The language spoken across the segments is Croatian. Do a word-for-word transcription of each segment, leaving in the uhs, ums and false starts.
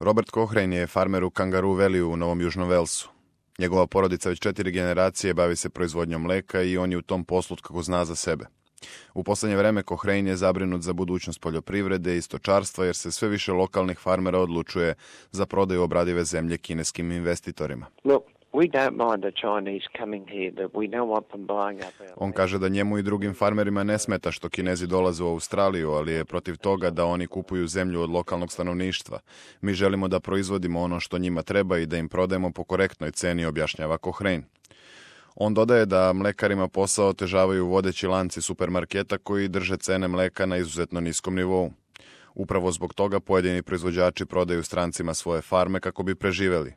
Robert Cochrane je farmer u Kangaroo Valleyu u Novom Južnom Velsu. Njegova porodica već četiri generacije bavi se proizvodnjom mleka i on je u tom poslu kako zna za sebe. U posljednje vreme Cochrane je zabrinut za budućnost poljoprivrede i stočarstva jer se sve više lokalnih farmera odlučuje za prodaju obradive zemlje kineskim investitorima. Look, we don't mind the Chinese coming here, but we don't want them buying up our... On kaže da njemu i drugim farmerima ne smeta što Kinezi dolaze u Australiju, ali je protiv toga da oni kupuju zemlju od lokalnog stanovništva. Mi želimo da proizvodimo ono što njima treba i da im prodajemo po korektnoj ceni, objašnjava Cochrane. On dodaje da mlekarima posao otežavaju vodeći lanci supermarketa koji drže cene mleka na izuzetno niskom nivou. Upravo zbog toga pojedini proizvođači prodaju strancima svoje farme kako bi preživeli.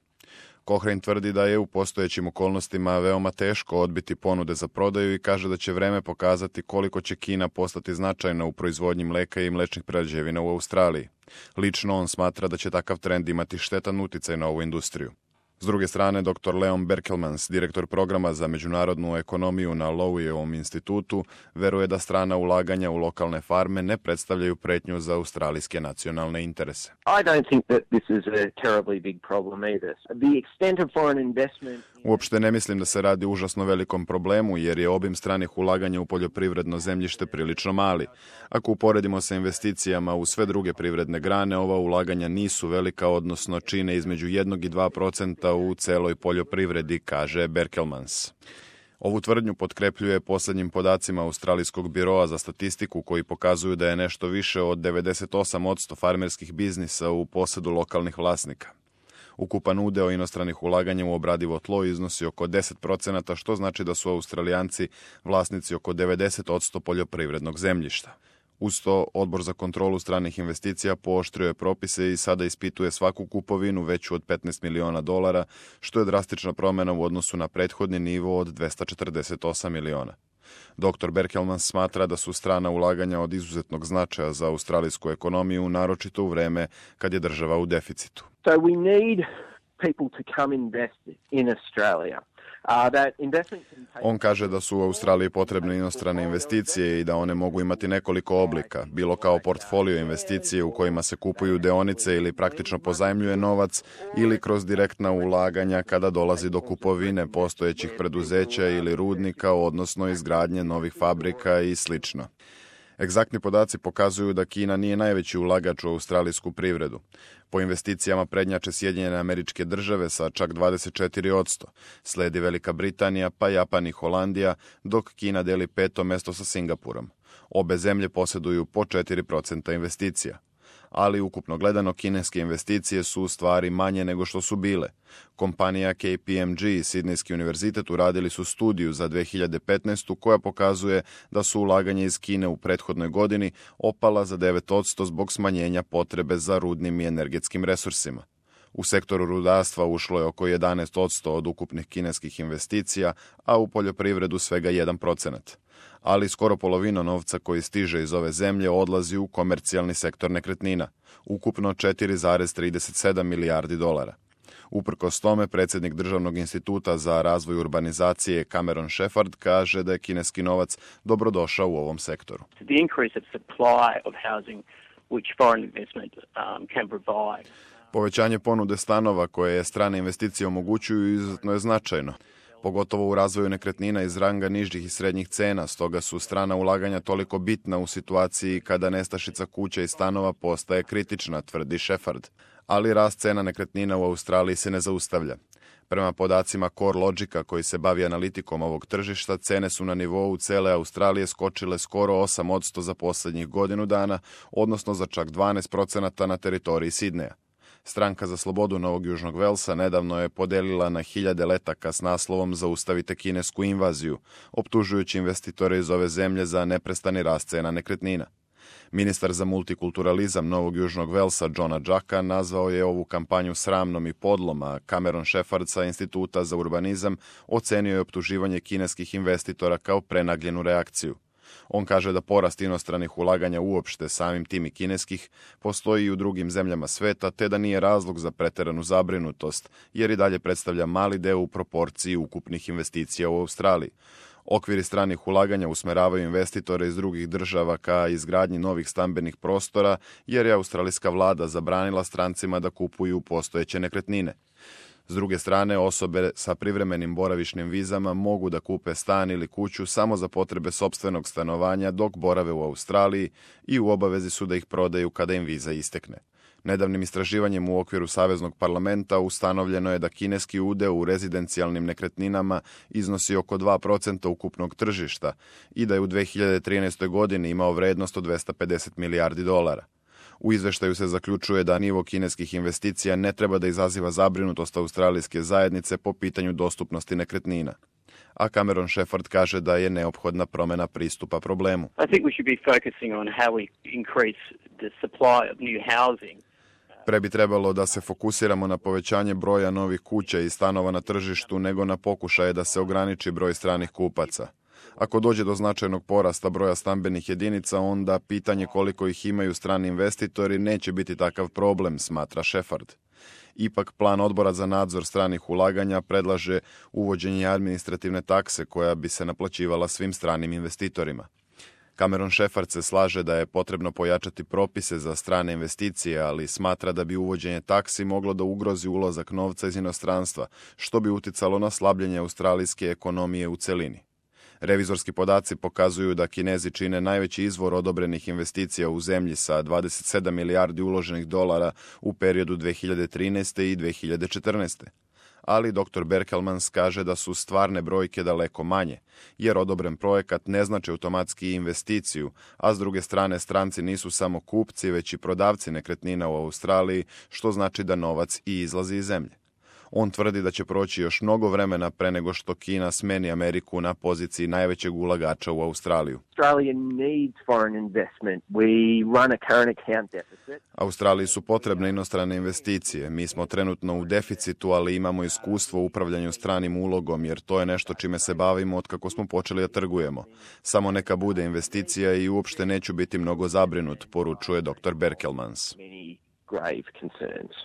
Cochrane tvrdi da je u postojećim okolnostima veoma teško odbiti ponude za prodaju i kaže da će vreme pokazati koliko će Kina postati značajna u proizvodnji mleka i mlečnih prerađevina u Australiji. Lično on smatra da će takav trend imati štetan uticaj na ovu industriju. S druge strane, doktor Leon Berkelmans, direktor programa za međunarodnu ekonomiju na Lowejevom institutu, veruje da strana ulaganja u lokalne farme ne predstavljaju pretnju za australijske nacionalne interese. I don't think that this is a terribly big problem either. The extent of foreign investment... Uopšte ne mislim da se radi o užasno velikom problemu, jer je obim stranih ulaganja u poljoprivredno zemljište prilično mali. Ako uporedimo sa investicijama u sve druge privredne grane, ova ulaganja nisu velika, odnosno čine između jednog i dva procenta u celoj poljoprivredi, kaže Berkelmans. Ovu tvrdnju potkrepljuje posljednjim podacima Australijskog biroa za statistiku koji pokazuju da je nešto više od devedeset osam posto farmerskih biznisa u posedu lokalnih vlasnika. Ukupan udeo inostranih ulaganja u obradivo tlo iznosi oko deset procenata, što znači da su Australijanci vlasnici oko devedeset posto poljoprivrednog zemljišta. Uz to, Odbor za kontrolu stranih investicija pooštrio je propise i sada ispituje svaku kupovinu veću od petnaest miliona dolara, što je drastična promjena u odnosu na prethodni nivo od dvesta četrdeset osam miliona. doktor Berkelmans smatra da su strana ulaganja od izuzetnog značaja za australijsku ekonomiju, naročito u vreme kad je država u deficitu. So we need people to come invest in Australia. Uh, that investment can take... On kaže da su u Australiji potrebne inostrane investicije i da one mogu imati nekoliko oblika, bilo kao portfolio investicije u kojima se kupuju deonice ili praktično pozajmljuje novac, ili kroz direktna ulaganja kada dolazi do kupovine postojećih preduzeća ili rudnika, odnosno izgradnje novih fabrika i slično. Egzaktni podaci pokazuju da Kina nije najveći ulagač u australijsku privredu. Po investicijama prednjače Sjedinjene Američke Države sa čak dvadeset četiri posto, sledi Velika Britanija, pa Japan i Holandija, dok Kina deli peto mesto sa Singapurom. Obe zemlje posjeduju po četiri procenta investicija. Ali ukupno gledano kineske investicije su u stvari manje nego što su bile. Kompanija K P M G i Sidnejski univerzitet uradili su studiju za dve hiljade petnaestu koja pokazuje da su ulaganje iz Kine u prethodnoj godini opala za devet posto zbog smanjenja potrebe za rudnim i energetskim resursima. U sektoru rudarstva ušlo je oko jedanaest posto od ukupnih kineskih investicija, a u poljoprivredu svega jedan procenat. Ali skoro polovina novca koji stiže iz ove zemlje odlazi u komercijalni sektor nekretnina, ukupno četiri zarez trideset sedam milijardi dolara. Uprkos tome, predsjednik Državnog instituta za razvoj urbanizacije Cameron Shepard kaže da je kineski novac dobrodošao u ovom sektoru. The increase of supply of housing which foreign investment um, can provide. Povećanje ponude stanova koje je strane investicije omogućuju izuzetno je značajno, pogotovo u razvoju nekretnina iz ranga nižih i srednjih cena, stoga su strana ulaganja toliko bitna u situaciji kada nestašica kuća i stanova postaje kritična, tvrdi Shepard. Ali rast cena nekretnina u Australiji se ne zaustavlja. Prema podacima CoreLogica koji se bavi analitikom ovog tržišta, cene su na nivou cele Australije skočile skoro osam posto za posljednjih godinu dana, odnosno za čak dvanaest procenata na teritoriji Sidneja. Stranka za slobodu Novog Južnog Velsa nedavno je podelila na hiljade letaka s naslovom Zaustavite kinesku invaziju, optužujući investitore iz ove zemlje za neprestani rast cena nekretnina. Ministar za multikulturalizam Novog Južnog Velsa Johna Jacka nazvao je ovu kampanju sramnom i podlom, a Cameron Shepard sa Instituta za urbanizam ocenio je optuživanje kineskih investitora kao prenagljenu reakciju. On kaže da porast inostranih ulaganja uopšte, samim tim i kineskih, postoji i u drugim zemljama sveta, te da nije razlog za preteranu zabrinutost, jer i dalje predstavlja mali deo u proporciji ukupnih investicija u Australiji. Okviri stranih ulaganja usmeravaju investitore iz drugih država ka izgradnji novih stambenih prostora, jer je australijska vlada zabranila strancima da kupuju postojeće nekretnine. S druge strane, osobe sa privremenim boravišnim vizama mogu da kupe stan ili kuću samo za potrebe sopstvenog stanovanja dok borave u Australiji i u obavezi su da ih prodaju kada im viza istekne. Nedavnim istraživanjem u okviru Saveznog parlamenta ustanovljeno je da kineski udeo u rezidencijalnim nekretninama iznosi oko dva procenta ukupnog tržišta i da je u dve hiljade trinaestoj. godini imao vrednost od dvesta pedeset milijardi dolara. U izveštaju se zaključuje da nivo kineskih investicija ne treba da izaziva zabrinutost australijske zajednice po pitanju dostupnosti nekretnina. A Cameron Shepherd kaže da je neophodna promjena pristupa problemu. I think we should be focusing on how we increase the supply of new housing. Pre bi trebalo da se fokusiramo na povećanje broja novih kuća i stanova na tržištu nego na pokušaje da se ograniči broj stranih kupaca. Ako dođe do značajnog porasta broja stambenih jedinica, onda pitanje koliko ih imaju strani investitori neće biti takav problem, smatra Shepherd. Ipak, plan odbora za nadzor stranih ulaganja predlaže uvođenje administrativne takse koja bi se naplaćivala svim stranim investitorima. Cameron Shepherd se slaže da je potrebno pojačati propise za strane investicije, ali smatra da bi uvođenje taksi moglo da ugrozi ulazak novca iz inostranstva, što bi uticalo na slabljenje australijske ekonomije u celini. Revizorski podaci pokazuju da Kinezi čine najveći izvor odobrenih investicija u zemlji sa dvadeset sedam milijardi uloženih dolara u periodu dve hiljade trinaeste. i dve hiljade četrnaeste. Ali doktor Berkelmans kaže da su stvarne brojke daleko manje, jer odobren projekat ne znači automatski investiciju, a s druge strane stranci nisu samo kupci, već i prodavci nekretnina u Australiji, što znači da novac i izlazi iz zemlje. On tvrdi da će proći još mnogo vremena pre nego što Kina smeni Ameriku na poziciji najvećeg ulagača u Australiju. Australia needs foreign investment. We run a current account deficit. Australiji su potrebne inostrane investicije. Mi smo trenutno u deficitu, ali imamo iskustvo u upravljanju stranim ulogom, jer to je nešto čime se bavimo od kako smo počeli da trgujemo. Samo neka bude investicija i uopšte neću biti mnogo zabrinut, poručuje doktor Berkelmans. Many grave concerns.